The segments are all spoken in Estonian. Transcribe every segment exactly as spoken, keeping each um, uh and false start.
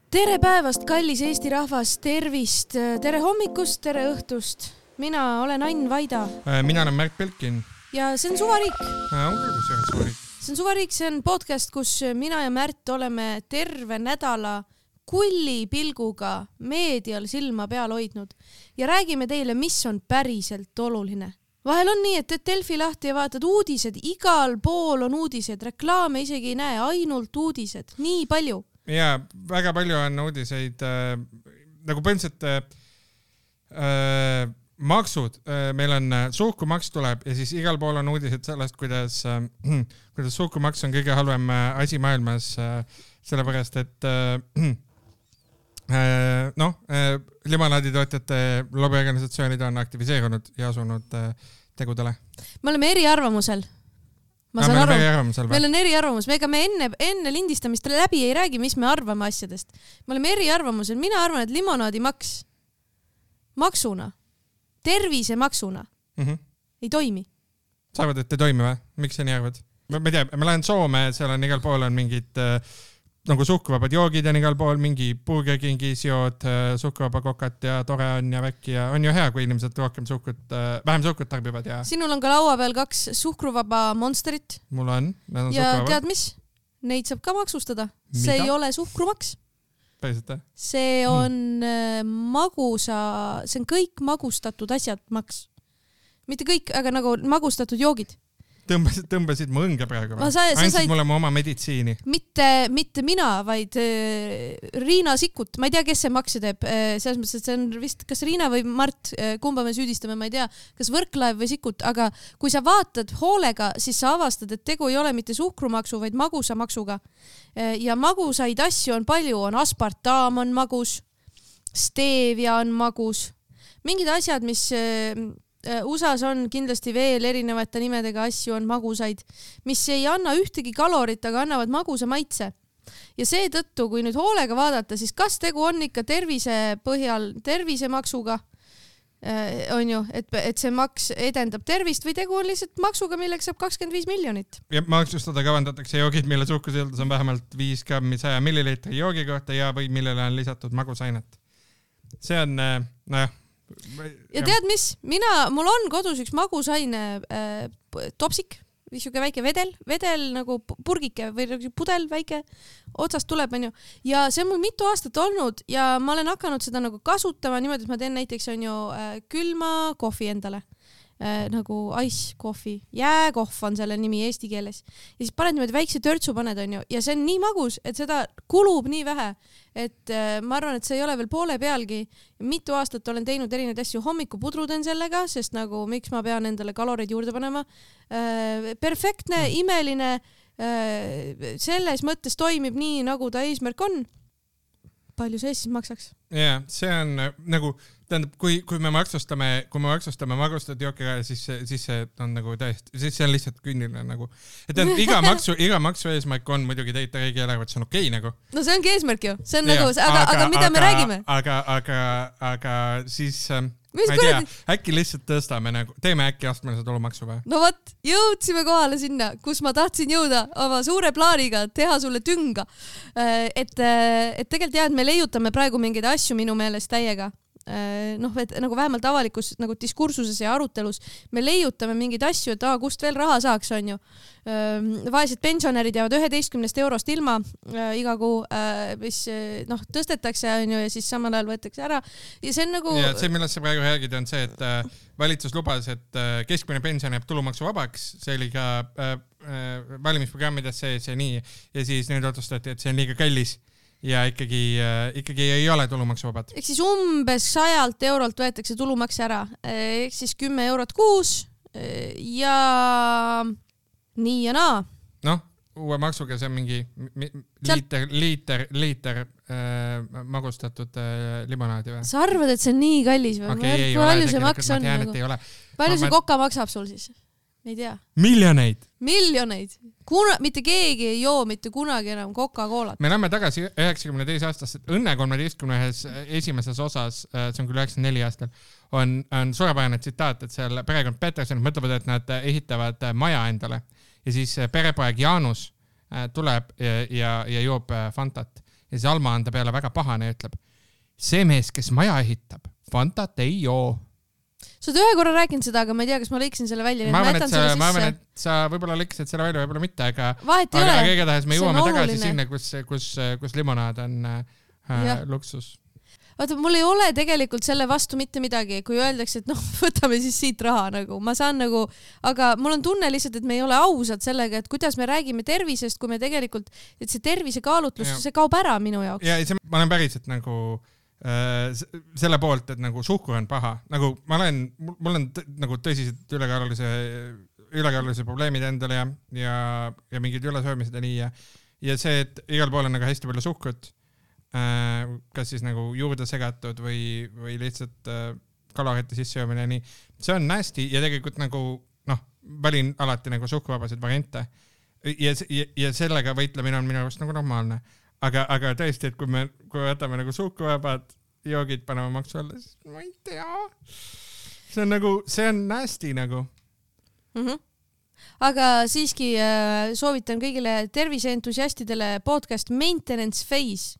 Tere päevast, kallis Eesti rahvas, tervist, tere hommikust, tere õhtust. Mina olen Ain Vaida. Mina olen Märt Pelkin. Ja see on Suvariik. On küll, kus see on Suvariik. See on Suvariik, see on podcast, kus mina ja Märt oleme terve nädala kulli pilguga meedial silma peal hoidnud ja räägime teile, mis on päriselt oluline. Vahel on nii, et teed Delfi lahti ja vaatad uudised, igal pool on uudised, reklaame isegi ei näe, ainult uudised, nii palju. Ja väga palju on uudiseid, äh, nagu põhimõtteliselt äh, maksud, äh, meil on äh, suhkrumaks tuleb ja siis igal pool on uudised sellest, kuidas, äh, kuidas suhkrumaks on kõige halvem äh, asi maailmas, äh, sellepärast, et äh, äh, noh, äh, limonaaditootjate lobiorganisatsioonid on aktiviseerunud ja asunud äh, tegudele. Me oleme eriarvamusel. Ma no, saan aru, eriarvamusel, meil on eriarvamus, me ega me enne, enne lindistamist läbi ei räägi, mis me arvame asjadest. Me oleme eriarvamusel, mina arvan, et limonaadimaks maksuna, tervisemaksuna mm -hmm. ei toimi. Sa arvad, et ei toimi või? Miks sa nii arvad? Ma, ma tea, ma lähen Soome, seal on igal pool on mingid äh, nagu suhkruvabad joogid on igal pool, mingi Burger Kingis jood, äh, suhkruvaba kokat ja tore on ja väkki ja on ju hea, kui inimesed rohkem suhkrut, äh, vähem suhkrut tarbivad. Ja... Sinul on ka laua peal kaks suhkruvaba monsterit. Mul on. on ja suhkruvaba. Tead mis? Neid saab ka maksustada. Mida? See ei ole suhkrumaks. Päriselt? See on hmm. magusa, see on kõik magustatud asjad maks. Mitte kõik, aga nagu magustatud joogid. Tõmbasid, tõmbasid mu õnge praegu. Andsid said... mulle oma meditsiini. Mitte, mitte mina, vaid äh, Riina Sikkut. Ma ei tea, kes see makse teeb. Äh, selles mõttes, et see on vist, kas Riina või Mart, äh, kumba me süüdistame, ma ei tea, kas Võrklaev või Sikkut. Aga kui sa vaatad hoolega, siis sa avastad, et tegu ei ole mitte suhkrumaksu, vaid magusamaksuga. Äh, ja magusaid asju on palju. On aspartaam on magus, stevia on magus. Mingid asjad, mis... Äh, U S A-s on kindlasti veel erinevate nimedega asju, on magusaid, mis ei anna ühtegi kalorit, aga annavad magusa maitse. Ja seetõttu, kui nüüd hoolega vaadata, siis kas tegu on ikka tervise põhjal tervisemaksuga, äh, on ju, et, et see maks edendab tervist või tegu on lihtsalt maksuga, milleks saab kakskümmend viis miljonit. Ja maksustada kavandatakse joogid, mille suhkrusildus on vähemalt viis grammi saja milliliitri joogi kohta ja või millele on lisatud magusainet. See on, äh, nojah, ja tead mis, mina, mul on kodus üks magusaine äh, topsik, niisugune väike vedel, vedel nagu purgike või pudel väike, otsast tuleb, on ju. Ja see on mul mitu aastat olnud ja ma olen hakanud seda nagu kasutama niimoodi, et ma teen näiteks on ju äh, külma kohvi endale. Äh, nagu ice coffee, jääkohv on selle nimi eesti keeles. Ja siis paned niimoodi väikse törtsu paned, on ju, ja see on nii magus, et seda kulub nii vähe, et äh, ma arvan, et see ei ole veel poole pealgi. Mitu aastat olen teinud erinevaid asju, hommikupudru teen sellega, sest nagu miks ma pean endale kaloreid juurde panema. Äh, perfektne, imeline, äh, selles mõttes toimib nii, nagu ta eesmärk on. Palju see siis maksaks? Jaa, see on nagu, tähendab, kui, kui me maksustame, kui me maksustame magustatud jookiga, siis, siis see on nagu täiesti, siis see on lihtsalt künniline nagu. Et tähendab, iga maksu, iga maksu eesmärk on muidugi teita riigi eelarvet, see on okei nagu. No see ongi eesmärk ju, see on ja, nagu, aga, aga, aga mida aga, me räägime? Aga, aga, aga siis... Mis ma ei tea, äkki lihtsalt tõstame nagu, teeme äkki astmelise tulumaksu või? No võt, jõudsime kohale sinna, kus ma tahtsin jõuda oma suure plaaniga, teha sulle tünga. Et, et tegelikult jah, et me leiutame praegu mingeid asju minu meelest täiega. Noh, et nagu vähemalt avalikus nagu diskursuses ja arutelus me leiutame mingeid asju, et ah, kust veel raha saaks, on ju. Vaesed pensionärid jäävad üheteistkümnest eurost ilma äh, iga kuu, äh, mis noh, tõstetakse, on ju, ja siis samal ajal võetakse ära. Ja see on nagu... Ja see, millest sa praegu räägid, on see, et äh, valitsus lubas, et äh, keskmine pension jääb tulumaksu vabaks, see oli ka äh, äh, valimisprogrammides see, see nii, ja siis nüüd otsustati, et see on liiga kallis. Ja ikkagi, äh, ikkagi ei ole tulumaksuvabad. Ehk siis umbes sajalt eurolt võetakse tulumaks ära. Ehk siis kümme eurot kuus ja nii ja naa. Noh, uue maksuga see on mingi liiter, liiter, liiter äh, magustatud äh, limonaadi või? Sa arvad, et see on nii kallis või? Okay, ei ole, tegelikult ma tean, et ei ole. Palju see koka maksab sul siis? Ei tea. Miljoneid. Miljoneid. Kuna, mitte keegi ei joo mitte kunagi enam Coca-Colat. Me läheme tagasi üheksakümne teise aastast, Õnne kolmeteistkümnes esimeses osas, see on küll üheksakümne neljandal aastal, on, on suurepärane tsitaat, et seal perekond Peterson mõtlevad, et nad ehitavad maja endale ja siis perepoeg Jaanus tuleb ja, ja, ja joob Fantat. ja siis Alma on ta peale väga pahane ja ütleb, see mees, kes maja ehitab, Fantat ei joo. Sa oled ühe korra rääkinud seda, aga ma ei tea, kas ma lõiksin selle välja. Ma arvan, et sa, ma arvan, et sa võib-olla lõiksid selle välja, võib-olla mitte, aga, aga, aga igatahes me jõuame tagasi sinna, kus, kus, kus limonaad on äh, luksus. Vaata, mul ei ole tegelikult selle vastu mitte midagi, kui öeldakse, et noh, võtame siis siit raha nagu, ma saan nagu, aga mul on tunne lihtsalt, et me ei ole ausad sellega, et kuidas me räägime tervisest, kui me tegelikult, et see tervise kaalutlus, see kaob ära minu jaoks. Ja see, ma olen päriselt nagu äh, selle poolt, et nagu suhkur on paha, nagu ma olen, mul on t- nagu tõsised ülekaalulise, ülekaalulise probleemid endale ja, ja, ja mingid ülesöömised ja nii ja, ja see, et igal pool on nagu hästi palju suhkrut, kas siis nagu juurde segatud või, või lihtsalt äh, kalorite sissejoomine ja nii. See on nasty ja tegelikult nagu, noh, valin alati nagu suhkruvabasid variante ja, ja, ja sellega võitlemine on minu arust nagu normaalne. Aga, aga tõesti, et kui me, kui võtame nagu suhkruvabad joogid, paneme maksu alla, siis ma ei tea. See on nagu, see on nasty nagu. Mhm. Aga siiski äh, soovitan kõigile terviseentusiastidele podcast Maintenance Phase.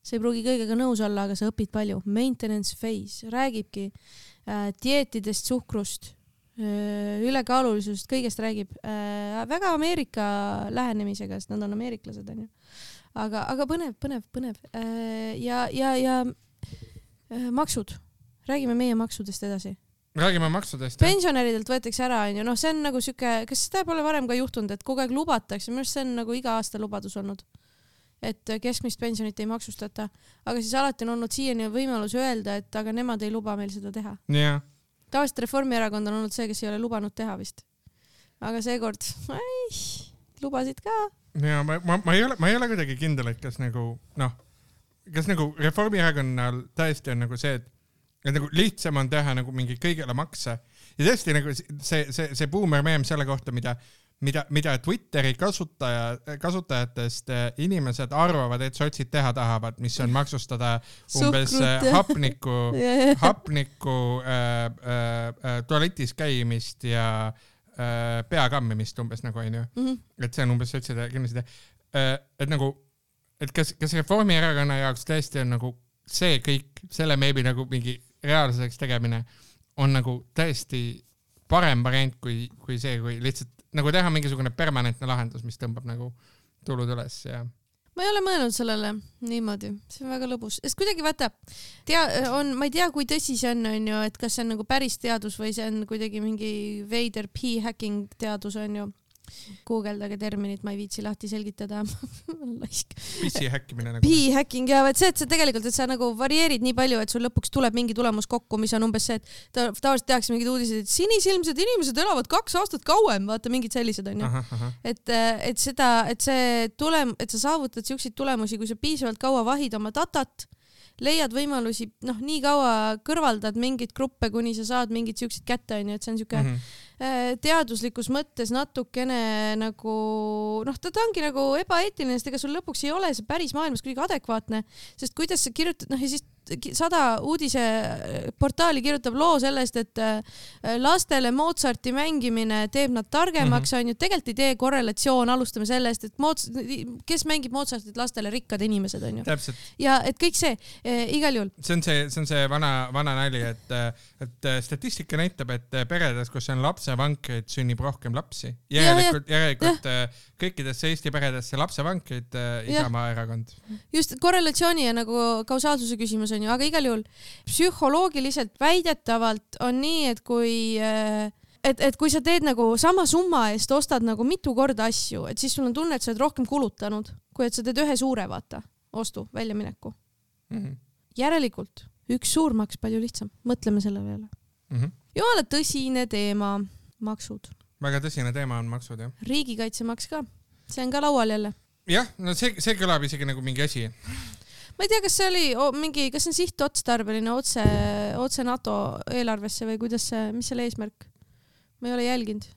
See ei pruugi kõigega nõus olla, aga sa õpid palju. Maintenance Phase räägibki äh, dieetidest, suhkrust, äh, ülekaalulisusest, kõigest räägib äh, väga Ameerika lähenemisega, sest nad on ameeriklased. On ju. Aga, aga põnev, põnev, põnev. Äh, ja ja, ja äh, maksud. Räägime meie maksudest edasi. Räägime maksudest. Pensionäridelt võetakse ära. On ju. No, see on nagu süke, kas seda pole varem ka juhtunud, et kogu aeg lubatakse? Minu arust see on nagu iga aasta lubadus olnud. Et keskmist pensionit ei maksustata, aga siis alati on olnud siiani võimalus öelda, et aga nemad ei luba meil seda teha. Yeah. Tavaliselt Reformierakond on olnud see, kes ei ole lubanud teha vist. Aga seekord, ei, lubasid ka. Ja, ma, ma, ma, ei ole, ma ei ole kuidagi kindel, et kas nagu, noh, kas nagu Reformierakonnal täiesti on nagu see, et, et nagu lihtsam on teha nagu mingi kõigele makse. Ja tõesti nagu see, see, see boomer meem selle kohta, mida Mida, mida Twitteri kasutaja, kasutajatest inimesed arvavad, et sotsid teha tahavad, mis on maksustada umbes Suhkrut. hapniku, hapniku äh, äh, tualetis käimist ja äh, peakammimist umbes nagu on ju. Mm-hmm. Et see on umbes sotside kindlasti. Äh, et nagu, et kas, kas Reformierakonna jaoks tõesti on nagu see kõik, selle meebi nagu mingi reaalsuseks tegemine on nagu tõesti parem variant kui, kui see, kui lihtsalt nagu teha mingisugune permanentne lahendus, mis tõmbab nagu tulud üles ja ma ei ole mõelnud sellele niimoodi, see on väga lõbus, sest kuidagi vaata tea, on, ma ei tea, kui tõsi see on, on ju, et kas see on nagu päris teadus või see on kuidagi mingi veider p-hacking teadus on ju. Guugeldage terminit, ma ei viitsi lahti selgitada. Pissi häkkimine nagu. P-hacking ja et see, et see tegelikult, et sa nagu varieerid nii palju, et sul lõpuks tuleb mingi tulemus kokku, mis on umbes see, et ta, tavaliselt tehakse mingid uudised, et sinisilmsed inimesed elavad kaks aastat kauem, vaata mingid sellised on ju. Aha, aha. Et, et seda, et see tulem, et sa saavutad siukseid tulemusi, kui sa piisavalt kaua vahid oma datat, leiad võimalusi, noh, nii kaua kõrvaldad mingid gruppe, kuni sa saad mingid siuksed kätte, on ju, et see on siuke mm-hmm. teaduslikus mõttes natukene nagu, noh, ta ongi nagu ebaeetiline, sest ega sul lõpuks ei ole see päris maailmas kuidagi adekvaatne, sest kuidas sa kirjutad, noh, ja siis sada uudise portaali kirjutab loo sellest, et lastele Mozarti mängimine teeb nad targemaks, mm-hmm. on ju, tegelikult ei tee korrelatsioon, alustame sellest, et Mozart, kes mängib Mozartit lastele, rikkad inimesed, on ju. Täpselt. Ja et kõik see, e, igal juhul. See on see, see on see vana, vana nali, et, et statistika näitab, et peredes, kus on lapsevankreid, sünnib rohkem lapsi. Järelikult, ja, järelikult ja. kõikidesse Eesti peredesse lapsevankreid Isamaa erakond. Just korrelatsiooni ja nagu kausaalsuse küsimus on ju, aga igal juhul psühholoogiliselt väidetavalt on nii, et kui et, et kui sa teed nagu sama summa eest ostad nagu mitu korda asju, et siis sul on tunne, et sa oled rohkem kulutanud, kui et sa teed ühe suure vaata ostu, väljamineku. Mm-hmm. Järelikult üks suur maks palju lihtsam. Mõtleme selle peale. Mm-hmm. Jumala tõsine teema, maksud. Väga tõsine teema on maksud, jah. Riigikaitsemaks ka. See on ka laual jälle. Jah, no see, see kõlab isegi nagu mingi asi. Ma ei tea, kas see oli oh, mingi, kas see on sihtotstarbeline otse, otse NATO eelarvesse või kuidas see, mis selle eesmärk? Ma ei ole jälginud.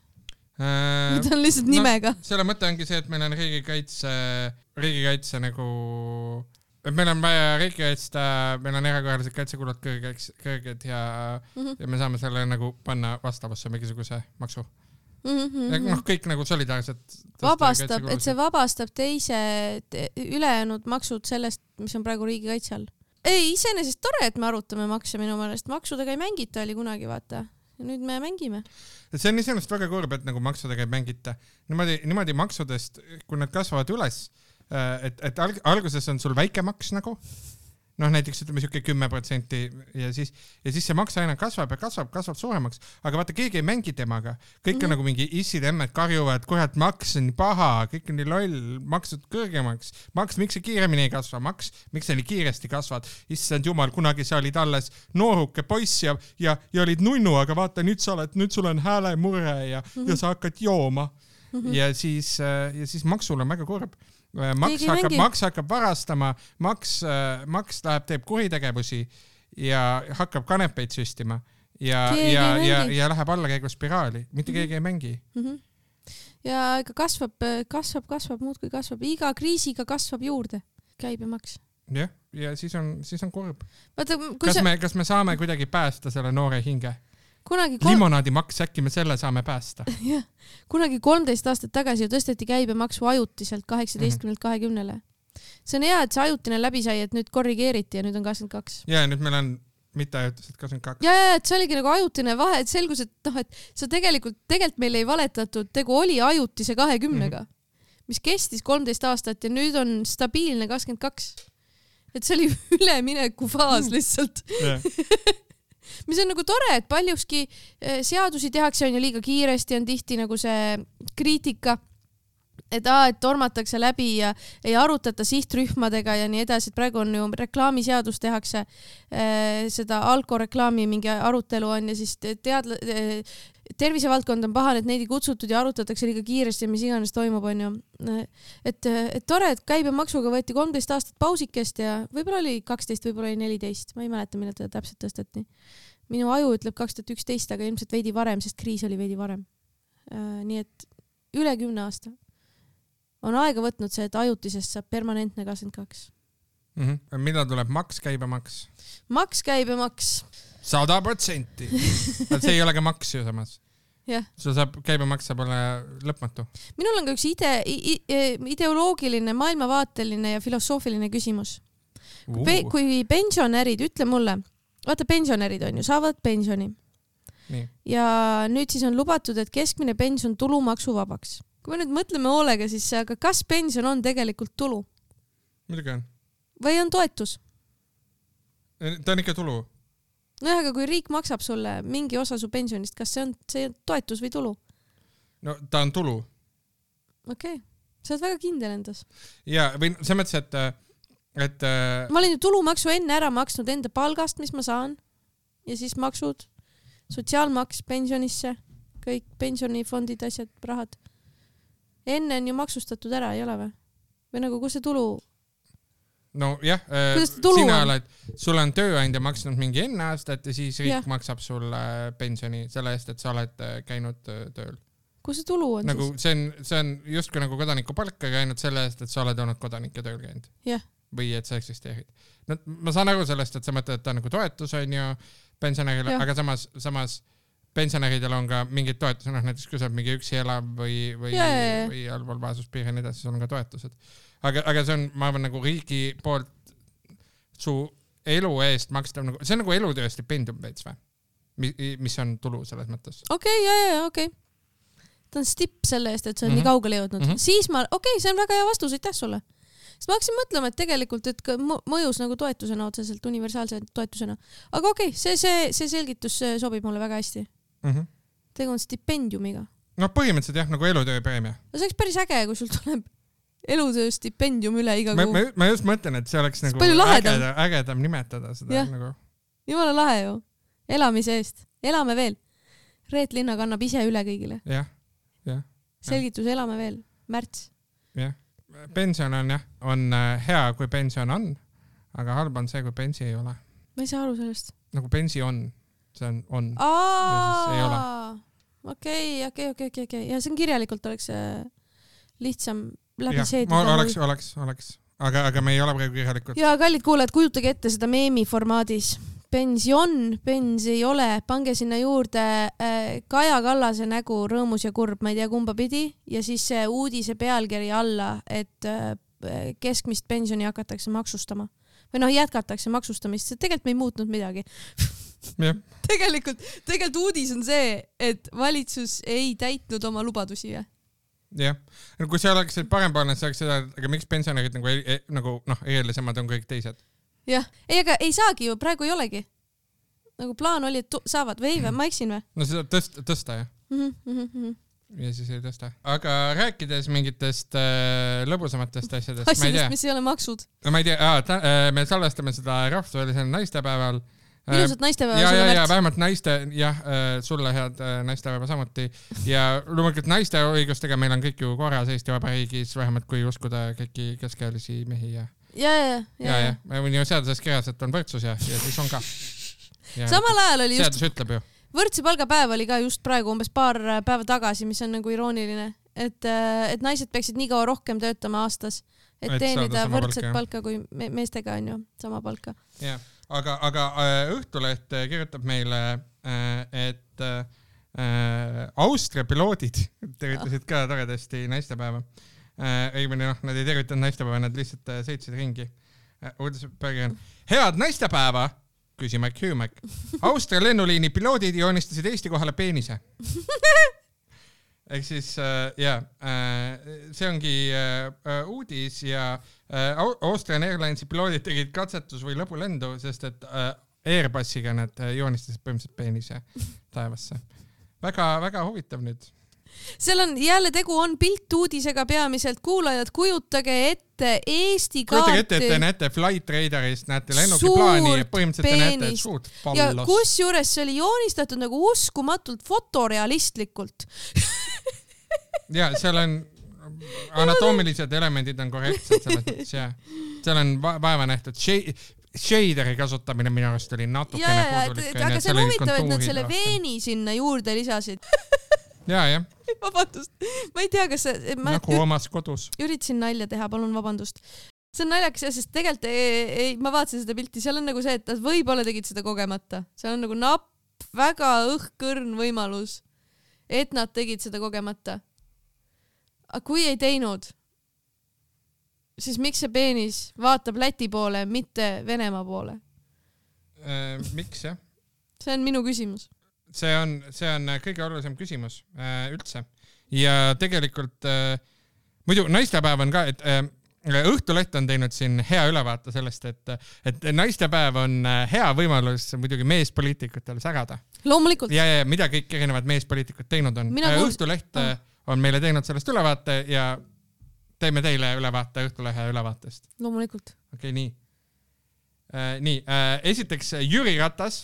Äh, Mida on lihtsalt nimega. No, selle mõte ongi see, et meil on riigikaitse, riigikaitse nagu, et meil on vaja riigikaitsta, meil on erakorralised kaitsekulud kõrged, kõrged ja, mm-hmm. ja me saame selle nagu panna vastavusse mingisuguse maksu. mm. -hmm. noh, kõik nagu solidaarselt vabastab, et see vabastab teise te, ülejäänud maksud sellest, mis on praegu riigikaitse all. Ei, iseenesest tore, et me arutame makse minu meelest. Maksudega ei mängita oli kunagi, vaata. Ja nüüd me mängime. See on iseenesest väga kurb, et nagu maksudega ei mängita. Niimoodi, niimoodi maksudest, kui nad kasvavad üles, et, et alguses on sul väike maks nagu, noh näiteks ütleme siuke kümme protsenti ja siis, ja siis see maks aina kasvab ja kasvab, kasvab suuremaks, aga vaata keegi ei mängi temaga. Kõik on mm -hmm. nagu mingi issid emmed karjuvad, kurat maks on nii paha, kõik on nii loll, maksud kõrgemaks. Maks, miks see kiiremini ei kasva? Maks, miks see nii kiiresti kasvad? Issand jumal, kunagi sa olid alles nooruke poiss ja, ja, ja olid nunnu, aga vaata nüüd sa oled, nüüd sul on häälemurre ja, mm -hmm. ja sa hakkad jooma. Mm -hmm. Ja siis, ja siis maksul on väga kurb. Maks hakkab, maks hakkab varastama, maks, maks läheb, teeb kuritegevusi ja hakkab kanepeid süstima ja, ja, ja, ja läheb allakäiguspiraali. Mitte keegi ei mängi. Mm -hmm. Ja ikka kasvab, kasvab, kasvab, muudkui kasvab. Iga kriisiga kasvab juurde käibemaks. Jah, ja siis on, siis on kurb. Vaata, kas, sa... me, kas me saame kuidagi päästa selle noore hinge? Kunagi kolm... Limonaadimaks, äkki me selle saame päästa. Ja, kunagi kolmteist aastat tagasi ju tõsteti käibemaksu ajutiselt kaheksateistkümnelt kahekümnele. See on hea, et see ajutine läbi sai, et nüüd korrigeeriti ja nüüd on kakskümmend kaks. Ja nüüd meil on mitte ajutiselt kakskümmend kaks. Ja, ja, et see oligi nagu ajutine vahe, et selgus, et noh, et see tegelikult, tegelikult meil ei valetatud, tegu oli ajutise kahekümnega, mm-hmm. mis kestis kolmteist aastat ja nüüd on stabiilne kakskümmend kaks. Et see oli ülemineku faas lihtsalt. Yeah. mis on nagu tore, et paljuski seadusi tehakse on ju liiga kiiresti, on tihti nagu see kriitika, et, aa, et tormatakse läbi ja ei arutata sihtrühmadega ja nii edasi, et praegu on ju reklaamiseadus tehakse, seda alkoreklaami mingi arutelu on ja siis teadla, tervisevaldkond on pahane, et neid ei kutsutud ja arutatakse liiga kiiresti ja mis iganes toimub, on ju. Et, et tore, et käibemaksuga võeti kolmteist aastat pausikest ja võib-olla oli kaksteist, võib-olla oli neliteist, ma ei mäleta, millal teda täpselt tõsteti. Minu aju ütleb kaks tuhat üksteist, aga ilmselt veidi varem, sest kriis oli veidi varem. Nii et üle kümne aasta on aega võtnud see, et ajutisest saab permanentne kakskümmend kaks. Mm-hmm. Millal tuleb maks, käibemaks? Maks, käibemaks. Sada protsenti. See ei ole ka maks ju samas. Yeah. Sul saab, käibemaks saab olla lõpmatu. Minul on ka üks ide, ideoloogiline, maailmavaateline ja filosoofiline küsimus. Uh. Kui, kui pensionärid, ütle mulle, vaata pensionärid on ju, saavad pensioni. Nii. Ja nüüd siis on lubatud, et keskmine pension tulumaksu vabaks. Kui me nüüd mõtleme hoolega, siis aga kas pension on tegelikult tulu? Midagi on. Või on toetus? Ta on ikka tulu. No aga kui riik maksab sulle mingi osa su pensionist, kas see on, see on toetus või tulu? No ta on tulu. Okei, okay. Sa oled väga kindel endas. Ja, või see mõttes, et, et... Ma olen ju tulumaksu enne ära maksnud enda palgast, mis ma saan. Ja siis maksud, sotsiaalmaks pensionisse, kõik pensionifondid, asjad, rahad. Enne on ju maksustatud ära, ei ole või? Või nagu, kus see tulu... No jah, sina oled, sul on tööandja maksnud mingi enne aastat ja siis riik ja. Maksab sulle pensioni selle eest, et sa oled käinud tööl. Kus see tulu on nagu, siis? See on, see on justkui nagu kodaniku palka käinud selle eest, et sa oled olnud kodanike tööl käinud. Yeah. Või et sa eksisteerid. No, ma saan aru sellest, et sa mõtled, et ta on nagu toetus on ju pensionärile, aga samas, samas pensionäridel on ka mingid toetused, noh näiteks kui sa oled mingi üksi elav või, või, yeah, yeah, yeah. või allpool vaesuspiiri ja nii edasi, sul on ka toetused. Aga, aga see on, ma arvan, nagu riigi poolt su elu eest makstav, nagu, see on nagu elutöö stipendium veits või? Mis on tulu selles mõttes. Okei, okay, jah, jah, okei. Okay. Ta on stipp selle eest, et sa on mm-hmm. nii kaugele jõudnud. Mm-hmm. Siis ma, okei, okay, see on väga hea vastus, aitäh sulle. Sest ma hakkasin mõtlema, et tegelikult, et mõjus nagu toetusena otseselt, universaalse toetusena. Aga okei, okay, see, see, see selgitus sobib mulle väga hästi. Mm-hmm. Tegu on stipendiumiga. No põhimõtteliselt jah, nagu elutöö preemia. No see oleks päris äge, kui sul tuleb elutöö stipendium üle iga kuu. Ma, ma just mõtlen, et see oleks nagu ägedam, ägedam nimetada seda. Nagu... Jumala lahe ju. Elamise eest. Elame veel. Reet Linna kannab ise üle kõigile. Jah, jah. Selgitus, elame veel. Märts. Jah. Pension on jah, on hea, kui pension on, aga halb on see, kui pensi ei ole. Ma ei saa aru sellest. Nagu pensi on. See on, on. Aa, okei, okei, okei, okei. Ja see on kirjalikult oleks lihtsam läbi seedida. Oleks, oleks, oleks. Aga, aga me ei ole praegu kirjalikult. Ja kallid kuulajad, kujutage ette seda meemi formaadis. pension, pens ei ole, pange sinna juurde äh, Kaja Kallase nägu rõõmus ja kurb, ma ei tea kumba pidi ja siis see uudise pealkiri alla, et äh, keskmist pensioni hakatakse maksustama või noh, jätkatakse maksustamist, see tegelikult me ei muutnud midagi. tegelikult, tegelikult uudis on see, et valitsus ei täitnud oma lubadusi. Ja? jah, kui see oleks parempoolne, siis oleks seda, aga miks pensionärid nagu, e, nagu noh, eelisemad on kõik teised? jah, ei, aga ei saagi ju, praegu ei olegi. Nagu plaan oli, et saavad või või, ma eksin või? No seda tõsta, tõsta jah. Mm -hmm. Ja siis ei tõsta. Aga rääkides mingitest äh, lõbusamatest asjadest, asjadest, ma ei tea. Mis ei ole maksud. No, ma ei tea, aa, ta, äh, me salvestame seda rahvusvahelisel naistepäeval. Ilusat naistepäeva ja, sulle, ja, ja vähemalt naiste, jah, sulle head naistepäeva samuti. Ja loomulikult naiste õigustega meil on kõik ju korras Eesti Vabariigis, vähemalt kui uskuda kõiki keskealisi mehi ja ja, ja, ja, ja, ja. on ju seaduses kirjas, et on võrdsus ja, ja siis on ka. Ja samal ajal oli just, seadus ütleb ju. Võrdse palgapäev oli ka just praegu umbes paar päeva tagasi, mis on nagu irooniline, et, et naised peaksid nii kaua rohkem töötama aastas, et, et teenida võrdset palka, palka kui me meestega on ju sama palka. Ja. Aga, aga Õhtuleht kirjutab meile, et Austria piloodid tervitasid ka toredasti naistepäeva. Õigemini noh, nad ei tervitanud naistepäeva, nad lihtsalt sõitsid ringi. Uudispealkiri on: head naistepäeva, küsimärk, hüümärk. Austria lennuliini piloodid joonistasid Eesti kohale peenise. Ehk siis jah, see ongi uudis ja Austrian Airlinesi piloodid tegid katsetus või lõpulendu, sest et Airbusiga nad joonistasid põhimõtteliselt peenise taevasse. Väga, väga huvitav nüüd. Seal on jälle tegu on piltuudisega peamiselt, kuulajad, kujutage ette Eesti kaarti. Kujutage ette, et te näete Flight Radarist, näete lennukiplaani ja põhimõtteliselt te näete suurt pallos. Ja kus juures see oli joonistatud nagu uskumatult fotorealistlikult. ja seal on anatoomilised elemendid on korrektsed selles mõttes ja seal on vaeva nähtud shaderi kasutamine minu arust oli natukene puudulik. Aga see on huvitav, et nad selle veeni sinna juurde lisasid. ja, jah. Vabandust, ma ei tea, kas see... Ma nagu omas kodus. Üritasin nalja teha, palun vabandust. See on naljakas, sest tegelikult ei, ei, ma vaatasin seda pilti, seal on nagu see, et nad võib-olla tegid seda kogemata. Seal on nagu napp, väga õhkõrn võimalus, et nad tegid seda kogemata. Aga kui ei teinud, siis miks see peenis vaatab Läti poole, mitte Venemaa poole? Äh, miks, jah? See on minu küsimus. See on, see on kõige olulisem küsimus äh, üldse. Ja tegelikult äh, muidu naistepäev on ka, et äh, Õhtuleht on teinud siin hea ülevaate sellest, et, et naistepäev on hea võimalus muidugi meespoliitikutel sägada. Loomulikult. Ja, ja mida kõik erinevad meespoliitikud teinud on. Õhtuleht oh. on meile teinud sellest ülevaate ja teeme teile ülevaate Õhtulehe ülevaatest. Loomulikult. Okei, okay, nii. Äh, nii, äh, esiteks Jüri Ratas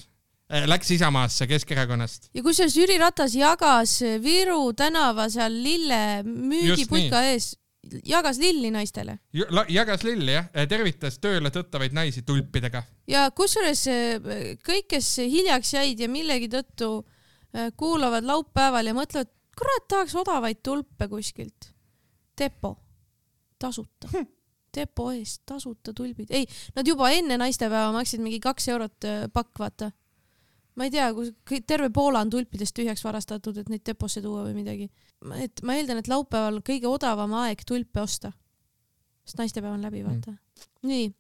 äh, läks Isamaasse Keskerakonnast. Ja kusjuures Jüri Ratas jagas Viru tänava seal lille müügiputka ees, jagas lilli naistele. Jagas lilli, jah. Tervitas tööle tõttavaid naisi tulpidega. Ja kusjuures kõik, kes hiljaks jäid ja millegi tõttu kuulavad laupäeval ja mõtlevad, kurat, tahaks odavaid tulpe kuskilt. Depo. Tasuta. Hm. Depo eest. Tasuta tulbid. Ei, nad juba enne naistepäeva maksid mingi kaks eurot pakk, vaata. Ma ei tea, kui terve Poola on tulpidest tühjaks varastatud, et neid deposse tuua või midagi. Et ma eeldan, et laupäeval kõige odavam aeg tulpe osta. Sest naistepäev on läbi, vaata. Mm. Nii.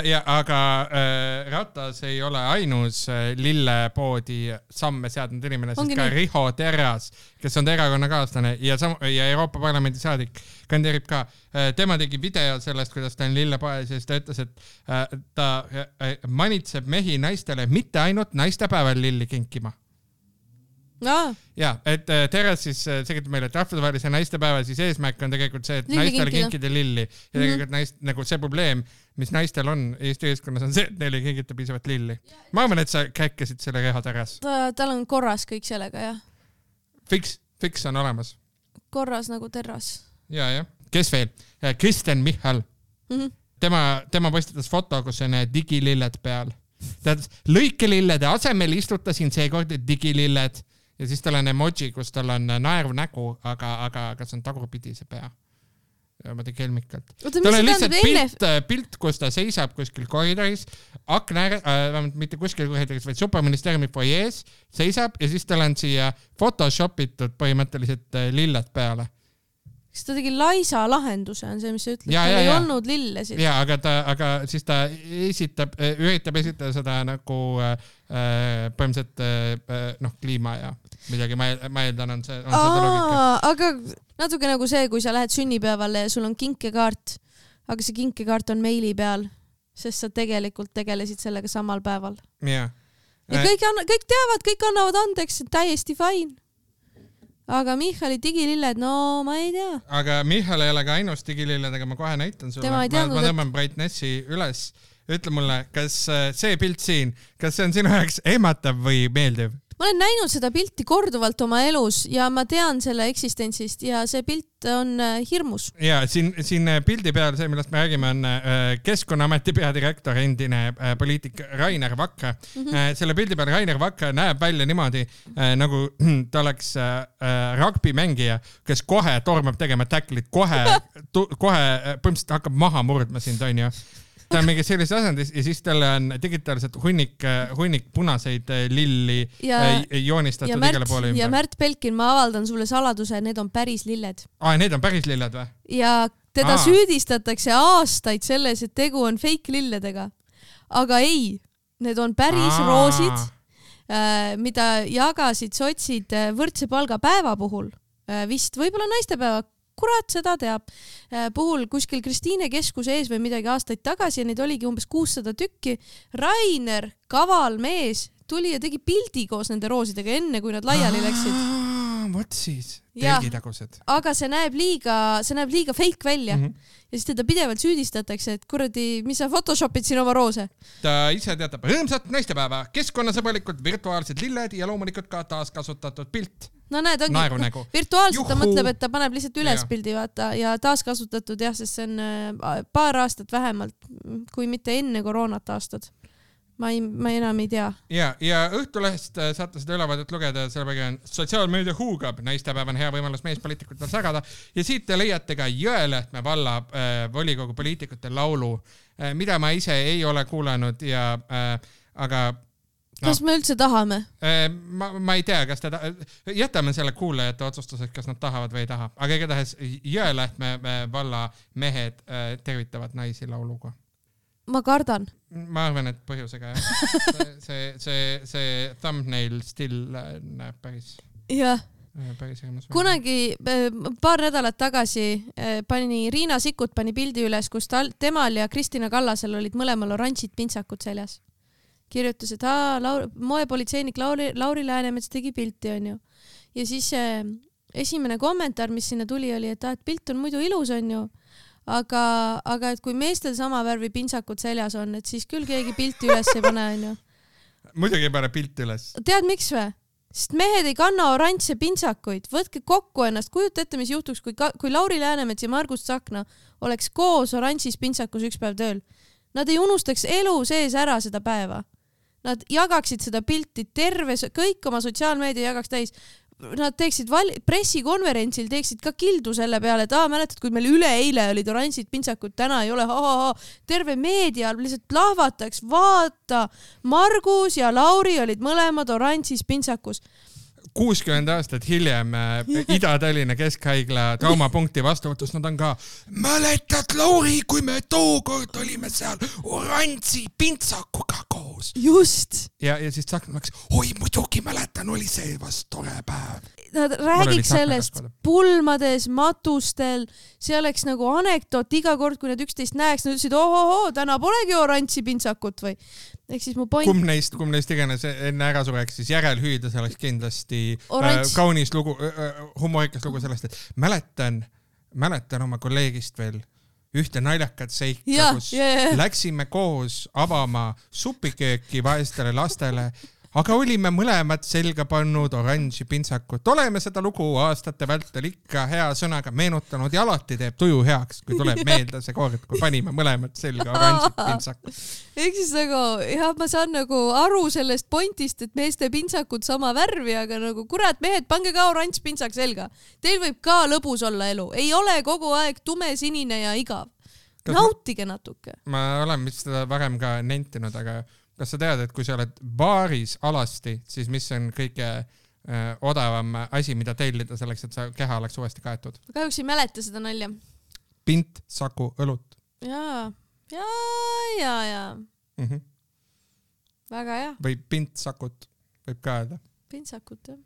Ja, aga äh, Ratas ei ole ainus äh, lillepoodi samme seadnud inimene, sest ka nii. Riho Terras, kes on erakonnakaaslane ja, ja Euroopa Parlamendi saadik, kandideerib ka. Äh, tema tegi video sellest, kuidas ta on lillepoes ja siis ta ütles, et äh, ta äh, manitseb mehi naistele mitte ainult naistepäeval lilli kinkima. No. Ja, et äh, Terras siis äh, segitab meile, et rahvusvahelise naistepäeva siis eesmärk on tegelikult see, et lilli naistele kinkida. kinkida lilli. Ja tegelikult mm-hmm. naist, nagu see probleem, mis naistel on Eesti ühiskonnas, on see, et neile ei kinkita piisavalt lilli. Ma arvan, et sa käkkesid selle Riho Terras. Ta, tal on korras kõik sellega, jah. Fix, fix on olemas. Korras nagu Terras. Ja, jah. Kes veel? Kristen Michal. Mm-hmm. Tema, tema postitas foto, kus on digililled peal. Tead, lõikelillede asemel istutasin seekord digililled. Ja siis tal on emoji, kus tal on naeru nägu, aga, aga, aga see on tagurpidi see pea. niimoodi kelmikalt. tal on lihtsalt pilt, pilt, kus ta seisab kuskil koridoris, akna ääre, äh, mitte kuskil koridoris, vaid superministeeriumi foyees seisab ja siis tal on siia photoshopitud põhimõtteliselt lilled peale. Kas ta tegi laisa lahenduse, on see, mis sa ütled? Ja, tal ja, ei ja. olnud lillesid. Ja, aga, ta, aga siis ta esitab, üritab esitada seda nagu äh, põhimõtteliselt äh, noh, kliima ja midagi, ma, ma eeldan, on see, on Aa, seda logika. Aga natuke nagu see, kui sa lähed sünnipäevale ja sul on kinkekaart, aga see kinkekaart on meili peal, sest sa tegelikult tegelesid sellega samal päeval. Ja, ja kõik, kõik teavad, kõik annavad andeks, täiesti fine. Aga Michali digililled, no ma ei tea. Aga Michal ei ole ka ainus digililledega, ma kohe näitan sulle. Ma, teadnud, ma tõmban et... brightnessi üles. Ütle mulle, kas see pilt siin, kas see on sinu jaoks ehmatav või meeldiv? Ma olen näinud seda pilti korduvalt oma elus ja ma tean selle eksistentsist ja see pilt on hirmus. Ja siin, siin pildi peal, see millest me räägime, on Keskkonnaameti peadirektor, endine poliitik Rainer Vakra. Mm-hmm. Selle pildi peal Rainer Vakra näeb välja niimoodi, nagu ta oleks rugbymängija, kes kohe tormab tegema tacklit, kohe, kohe põhimõtteliselt hakkab maha murdma sind, on ju. Ta on mingi sellises asendis ja siis talle on digitaalselt hunnik, hunnik punaseid lilli ja, joonistatud ja Märt, igale poole ümber. Ja Märt Belkin, ma avaldan sulle saladuse, need on päris lilled. Aa, need on päris lilled või? Ja teda Aa. süüdistatakse aastaid selles, et tegu on fake lilledega. Aga ei, need on päris Aa. roosid, mida jagasid sotsid võrdse palga päeva puhul. Vist võib-olla naistepäeva. Kurat, seda teab. Puhul kuskil Kristiine keskuse ees või midagi aastaid tagasi ja neid oligi umbes kuussada tükki. Rainer, kaval mees, tuli ja tegi pildi koos nende roosidega enne, kui nad laiali läksid. Vot siis, telgitagused. Aga see näeb liiga, see näeb liiga fake välja. Mm-hmm. Ja siis teda pidevalt süüdistatakse, et kuradi, mis sa photoshopid siin oma roose? Ta ise teatab rõõmsat naistepäeva, keskkonnasõbralikud virtuaalsed lilled ja loomulikult ka taaskasutatud pilt. No näed, ongi, virtuaalselt ta mõtleb, et ta paneb lihtsalt üles ja. Pildi vaata ja taaskasutatud jah, sest see on paar aastat vähemalt, kui mitte enne koroonat aastad. Ma, ei, ma enam ei tea. Ja, ja Õhtulehest saate seda ülevaadet lugeda, selle on sotsiaalmeedia huugab, naistepäev on hea võimalus meespoliitikutel sagada ja siit te leiate ka Jõelähtme valla äh, volikogu poliitikute laulu, äh, mida ma ise ei ole kuulanud ja äh, aga No. Kas me üldse tahame? Ma, ma ei tea, kas ta ta... jätame selle kuulajate otsustuseks, kas nad tahavad või ei taha. Aga igatahes Jõelähtme valla mehed tervitavad naisi lauluga. Ma kardan. Ma arvan, et põhjusega jah. See, see, see thumbnail still näeb päris... Jah. Kunagi paar nädalat tagasi pani Riina Sikkut pani pildi üles, kus tal, temal ja Kristina Kallasel olid mõlemal oranžid pintsakud seljas. Kirjutas, et aa, Laur, moepolitseinik Lauri, Lauri Läänemets tegi pilti, on ju. Ja siis äh, esimene kommentaar, mis sinna tuli, oli, et, ah, et pilt on muidu ilus, on ju. Aga, aga et kui meestel sama värvi pintsakud seljas on, et siis küll keegi pilti üles ei pane, on ju. Muidugi ei pane pilti üles. Tead, miks või? Sest mehed ei kanna oranžse pintsakuid. Võtke kokku ennast. Kujuta ette, mis juhtuks, kui, kui Lauri Läänemets ja Margus Tsahkna oleks koos oranžis pintsakus üks päev tööl. Nad ei unustaks elu sees ära seda päeva. Nad jagaksid seda pilti terve, kõik oma sotsiaalmeedia jagaks täis. Nad teeksid val- pressikonverentsil, teeksid ka kildu selle peale, et aa, mäletad, kui meil üle eile olid oranžid pintsakud, täna ei ole, ha, ha, ha. Terve meedia lihtsalt lahvataks, vaata, Margus ja Lauri olid mõlemad oranžis pintsakus. kuuskümmend aastat hiljem Ida-Tallinna Keskhaigla traumapunkti vastuvõtus, nad on ka mäletad, Lauri, kui me tookord olime seal oranži pintsakuga koos. Just. Ja, ja siis Tsahkna läks, oi muidugi mäletan, oli see vast tore päev. Nad räägiks sellest pulmades, matustel, see oleks nagu anekdoot iga kord, kui nad üksteist näeks, nad ütlesid, ohoho, täna polegi oranži pintsakut või. Ehk siis mu point... Kumb neist, kumb neist iganes enne ära sureks, siis järelhüüdes oleks kindlasti äh, kaunis lugu, äh, humorikas lugu sellest, et mäletan, mäletan oma kolleegist veel ühte naljakat seika, ja, kus yeah. läksime koos avama supikööki vaestele lastele, aga olime mõlemad selga pannud oranži pintsakut. Oleme seda lugu aastate vältel ikka hea sõnaga meenutanud ja alati teeb tuju heaks, kui tuleb meelde see kord, kui panime mõlemad selga oranži pintsakut. Ehk siis nagu, jah, ma saan nagu aru sellest pointist, et meeste pintsakud sama värvi, aga nagu kurat, mehed, pange ka oranž pintsak selga. Teil võib ka lõbus olla elu. Ei ole kogu aeg tume, sinine ja igav. Kas nautige natuke. Ma olen vist seda varem ka nentinud, aga kas sa tead, et kui sa oled baaris alasti, siis mis on kõige äh, odavam asi, mida tellida selleks, et sa keha oleks uuesti kaetud? Kahjuks ei mäleta seda nalja. Pint, saku, õlut. Jaa, jaa, jaa, jaa. Mm-hmm. Väga hea. Või pint, sakut võib ka öelda. Pint, sakut, jah.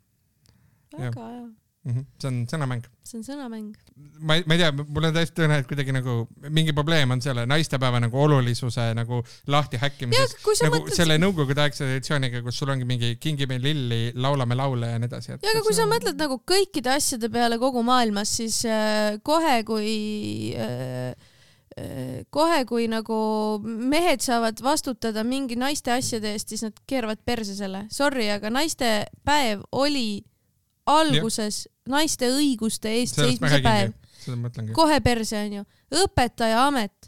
Väga ja. hea. Mm-hmm. See on sõnamäng. See on sõnamäng. Ma, ma ei tea, mul on täiesti tõene, et kuidagi nagu mingi probleem on selle naistepäeva nagu olulisuse nagu lahti häkkimises. Nagu mõtled... selle nõukogude aegse traditsiooniga, kus sul ongi mingi kingime lilli, laulame laule ja nii edasi. Ja aga kui sa mõtled nagu kõikide asjade peale kogu maailmas, siis äh, kohe kui äh, kohe kui nagu mehed saavad vastutada mingi naiste asjade eest, siis nad keeravad perse selle. Sorry, aga naistepäev oli alguses ja. Naiste õiguste eest seismise päev. Kohe perse on ju. Õpetaja amet.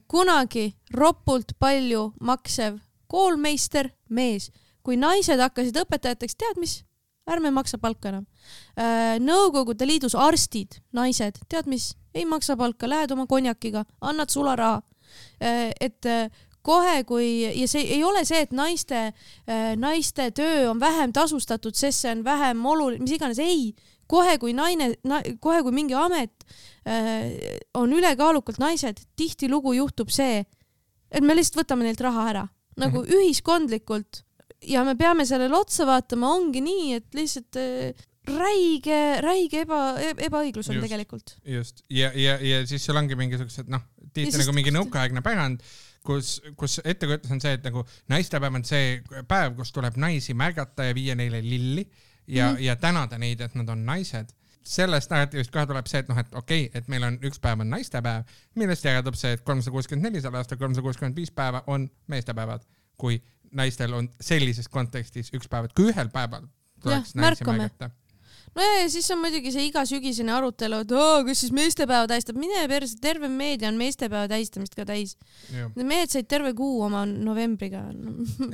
Kunagi ropult palju maksev koolmeister mees. Kui naised hakkasid õpetajateks, tead mis? Ärme maksa palka enam. Nõukogude liidus arstid, naised, tead mis? Ei maksa palka, lähed oma konjakiga, annad sularaha. Et kohe kui, ja see ei ole see, et naiste, naiste töö on vähem tasustatud, sest see on vähem oluline, mis iganes, ei, kohe kui naine, na, kohe kui mingi amet äh, on ülekaalukalt naised, tihti lugu juhtub see, et me lihtsalt võtame neilt raha ära, nagu mm-hmm. ühiskondlikult ja me peame sellele otsa vaatama, ongi nii, et lihtsalt äh, räige, räige eba, ebaõiglus on just, tegelikult. Just, ja, ja, ja siis seal ongi mingisugused, noh, tihti nagu mingi nõukaaegne pärand, kus, kus ettekujutus on see, et nagu naistepäev on see päev, kus tuleb naisi märgata ja viia neile lilli ja, mm. ja tänada neid, et nad on naised. Sellest narratiivist kohe tuleb see, et noh, et okei, okay, et meil on üks päev on naistepäev, millest järeldub see, et kolmsada kuuskümmend neli selle aasta kolmsada kuuskümmend viis päeva on meestepäevad, kui naistel on sellises kontekstis üks päev, et kui ühel päeval tuleks ja, naisi märgata. No ja, ja siis on muidugi see iga sügisene arutelu, et oo, kas siis meestepäeva tähistab, mine perse, terve meedia on meestepäeva tähistamist ka täis. Need mehed said terve kuu oma novembriga.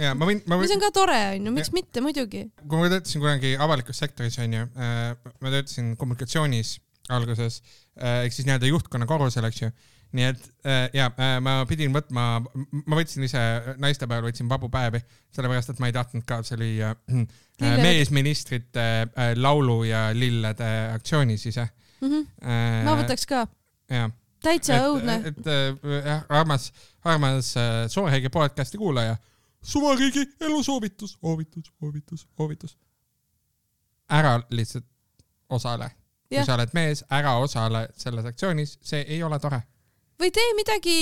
Ja, ma võin, ma võin... mis on ka tore, on ju, miks ja. Mitte, muidugi. Kui ma töötasin kunagi avalikus sektoris, on ju, ma töötasin kommunikatsioonis alguses, ehk siis nii-öelda juhtkonna korrusel, eks ju. Nii et ja, ma pidin võtma, ma võtsin ise naistepäeval, võtsin vabu päevi, sellepärast, et ma ei tahtnud ka, see oli Lille. Meesministrite laulu ja lillede aktsioonis ise. Mm-hmm. Äh, ma võtaks ka. Ja. Täitsa et, õudne. Et, et jah, armas, armas Sooheigi podcasti kuulaja. Suvariigi elusoovitus, oovitus, oovitus, oovitus. Ära lihtsalt osale. Kui ja. Sa oled mees, ära osale selles aktsioonis, see ei ole tore. Või tee midagi,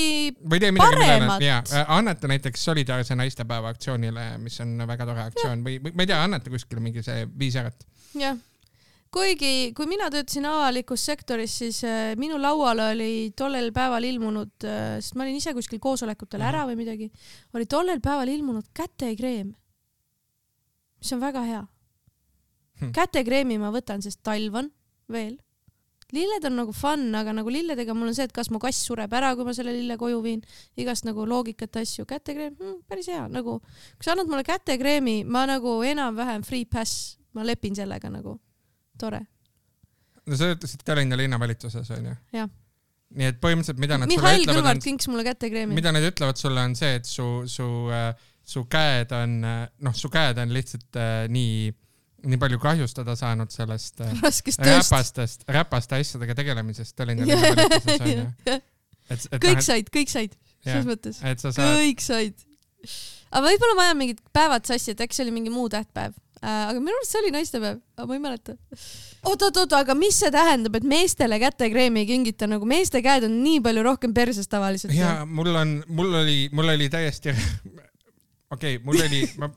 või tee midagi paremat. Ja, anneta näiteks solidaarse naistepäeva aktsioonile, mis on väga tore aktsioon. Või, või ma ei tea, anneta kuskil mingi see viis ärat. Jah. Kuigi, kui mina töötasin avalikus sektoris, siis äh, minu lauale oli tollel päeval ilmunud, äh, sest ma olin ise kuskil koosolekutel ära või midagi, oli tollel päeval ilmunud kätekreem, mis on väga hea. Hm. Kätekreemi ma võtan, sest talv on veel. Lilled on nagu fun, aga nagu lilledega mul on see, et kas mu kass sureb ära, kui ma selle lille koju viin, igast nagu loogikat asju, kätekreem, hm, päris hea, nagu kui sa annad mulle kätekreemi, ma nagu enam-vähem free pass, ma lepin sellega nagu, tore. No sa ütlesid Tallinna linnavalitsuses, on ju? Jah. Nii et põhimõtteliselt, mida nad Mihhail sulle ütlevad, kinks mulle kätekreemi. Mida nad ütlevad sulle on see, et su, su, su käed on, noh, su käed on lihtsalt äh, nii nii palju kahjustada saanud sellest räpastest, räpaste asjadega tegelemisest Tallinna linnavalitsuses on ju. Et, et kõik said, kõik said, selles mõttes. Kõik said. Aga võib-olla ma ajan mingid päevad sassi, et äkki see oli mingi muu tähtpäev. Aga minu arust see oli naistepäev, aga ma ei mäleta. Oot, oot, oot, aga mis see tähendab, et meestele kätekreemi ei kingita, nagu meeste käed on nii palju rohkem perses tavaliselt? Ja mul on, mul oli, mul oli täiesti, okei, okay, mul oli, ma...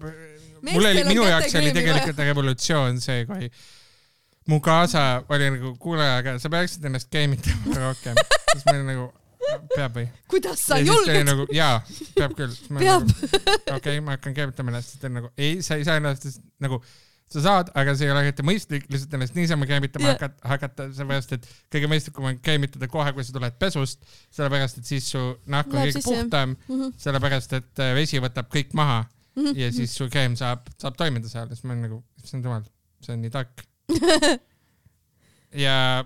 Mul oli, minu jaoks oli tegelikult revolutsioon see, kui mu kaasa oli nagu kuule, aga sa peaksid ennast keemitama rohkem. Siis ma olin nagu, peab või? Kuidas sa julged? Nagu, jaa, peab küll. Peab. Okei, okay, ma hakkan keemitama ennast, et nagu ei, sa ei saa ennast nagu sa saad, aga see ei ole eriti mõistlik lihtsalt ennast niisama keemitama yeah. hakata, hakata, sellepärast, et kõige mõistlikum on keemitada kohe, kui sa tuled pesust, sellepärast, et siis su nahk on kõige puhtam, mm -hmm. sellepärast, et vesi võtab kõik maha mm -hmm. ja siis su keem saab, saab toimida seal, siis ma olen nagu, see on jumal, see on nii tark. ja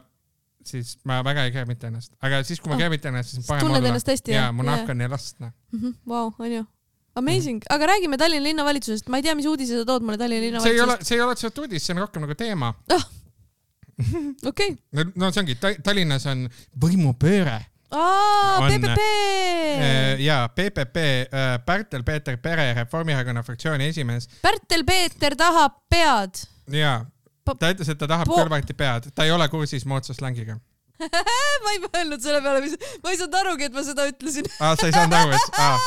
siis ma väga ei keemita ennast, aga siis kui ma oh. keemitan ennast, siis on parem olla. Hästi, ja mu nahk on elastne. Vau, on ju. Amazing, mm. aga räägime Tallinna linnavalitsusest, ma ei tea, mis uudise sa tood mulle Tallinna linnavalitsusest. See ei ole, see ei ole uudis, see on rohkem nagu teema. Ah. Okei. Okay. No see ongi, Tallinnas on võimupööre. Aa, P P P! Jaa, P P P, Pärtel-Peeter Pere, Reformierakonna fraktsiooni esimees. Pärtel-Peeter tahab pead. Jaa, ta ütles, et ta tahab kõlvati pead, ta ei ole kursis moodsa slängiga. ma ei mõelnud selle peale, mis... ma ei saanud arugi, et ma seda ütlesin. Aa, sa ei saanud aru, et... Aa.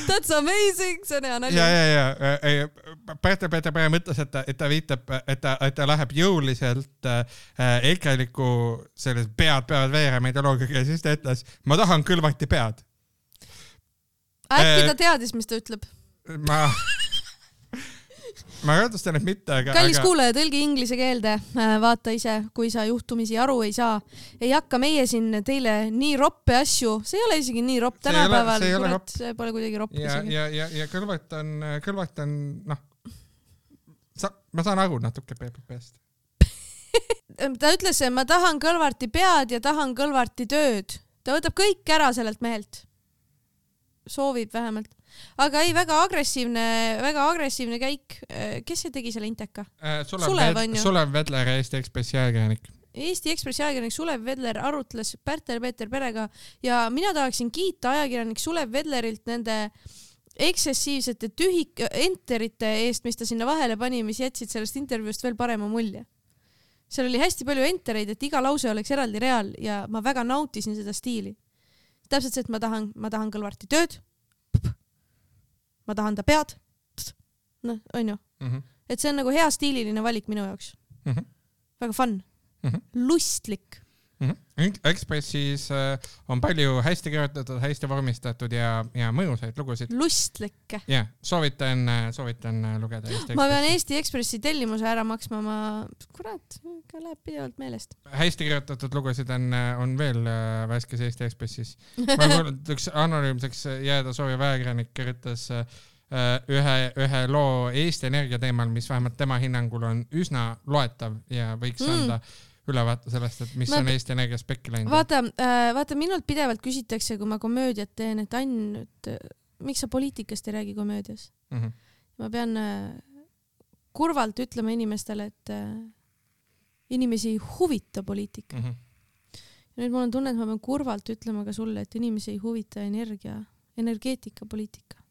That's amazing, see on hea nali. Ja, ja, ja. Pärtel-Peeter Pere mõtles, et ta, et ta viitab, et ta, et ta läheb jõuliselt äh, ekreliku sellest pead peavad veerema ideoloogiga ja siis ta ütles, ma tahan kõlvati pead. Äkki ta teadis, mis ta ütleb? Ma... Ma rõõdustan, et mitte, aga... Kallis aga... kuulaja, tõlgi inglise keelde, vaata ise, kui sa juhtumisi aru ei saa. Ei hakka meie siin teile nii roppe asju, see ei ole isegi nii ropp tänapäeval, kurat, see pole kuidagi ropp ja, isegi. Ja, ja, ja kõlvat on, kõlvat on, noh, sa, ma saan aru natuke P P P-st. Ta ütles, ma tahan Kõlvarti pead ja tahan Kõlvarti tööd. Ta võtab kõik ära sellelt mehelt. Soovib vähemalt. Aga ei, väga agressiivne, väga agressiivne käik. Kes see tegi selle inteka? Sulev, Sulev, ved, Sulev Vedler, Eesti Ekspressi ajakirjanik. Eesti Ekspressi ajakirjanik Sulev Vedler arutles Pärtel-Peeter Perega ja mina tahaksin kiita ajakirjanik Sulev Vedlerilt nende eksessiivsete tühik enterite eest, mis ta sinna vahele pani, mis jätsid sellest intervjuust veel parema mulje. Seal oli hästi palju entereid, et iga lause oleks eraldi real ja ma väga nautisin seda stiili. Täpselt see, et ma tahan, ma tahan Kõlvarti tööd. Ma tahan ta pead. No, on ju. Mm -hmm. Et see on nagu hea stiililine valik minu jaoks. Mm -hmm. Väga fun. Mm -hmm. Lustlik. Mm -hmm. Ekspressis äh, on palju hästi kirjutatud, hästi vormistatud ja, ja mõjusaid lugusid. Lustlikke. Ja, soovitan, soovitan lugeda Eesti Ekspressi. Ma pean Eesti Ekspressi tellimuse ära maksma, ma, kurat, läheb pidevalt meelest. Hästi kirjutatud lugusid on, on veel äh, värskes Eesti Ekspressis. Ma mõelnud, üks anonüümseks jääda soovi väekirjanik kirjutas äh, ühe, ühe loo Eesti Energia teemal, mis vähemalt tema hinnangul on üsna loetav ja võiks mm. anda ülevaata sellest, et mis ma, on Eesti Energia spekki läinud. Vaata, äh, vaata, minult pidevalt küsitakse, kui ma komöödiat teen, et Ann, et miks sa poliitikast ei räägi komöödias? Mm -hmm. Ma pean äh, kurvalt ütlema inimestele, et äh, inimesi ei huvita poliitika. Mm -hmm. Ja nüüd mul on tunne, et ma pean kurvalt ütlema ka sulle, et inimesi ei huvita energia, energeetika, poliitika.